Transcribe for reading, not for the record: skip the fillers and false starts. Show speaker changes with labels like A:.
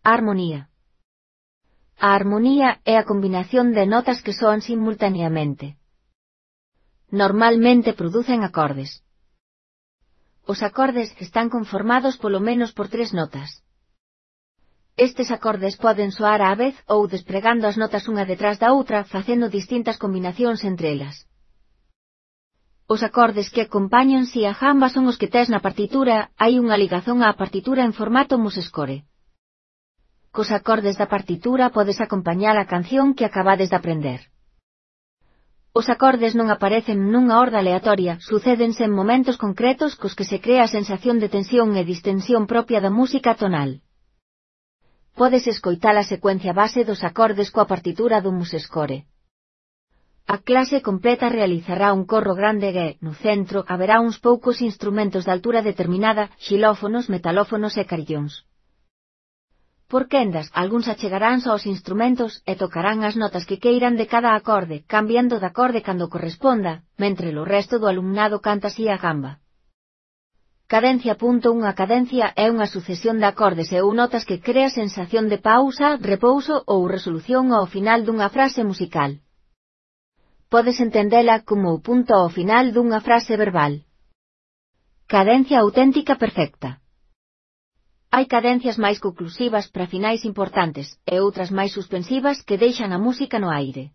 A: A armonía. A armonía é a combinación de notas que soan simultaneamente. Normalmente producen acordes. Os acordes están conformados polo menos por 3 notas. Estes acordes poden soar á vez ou despregando as notas unha detrás da outra facendo distintas combinacións entre elas. Os acordes que acompañan si a jamba son os que tes na partitura, hai unha ligazón á partitura en formato mus-score. Cos acordes da partitura podes acompañar a canción que acabades de aprender. Os acordes non aparecen nunha orde aleatoria, sucédense en momentos concretos cos que se crea a sensación de tensión e distensión propia da música tonal. Podes escoitar a secuencia base dos acordes coa partitura do mus-score. A clase completa realizará un corro grande e, no centro, haberá uns poucos instrumentos de altura determinada, xilófonos, metalófonos e carillóns. Por quendas, algúns achegaránse aos instrumentos e tocarán as notas que queiran de cada acorde, cambiando de acorde cando corresponda, mentre o resto do alumnado canta así a gamba. Cadencia. Unha cadencia é unha sucesión de acordes e ou notas que crea sensación de pausa, repouso ou resolución ao final dunha frase musical. Podes entendela como o punto ao final dunha frase verbal. Cadencia auténtica perfecta. Hai cadencias máis conclusivas para finais importantes, e outras máis suspensivas que deixan a música no aire.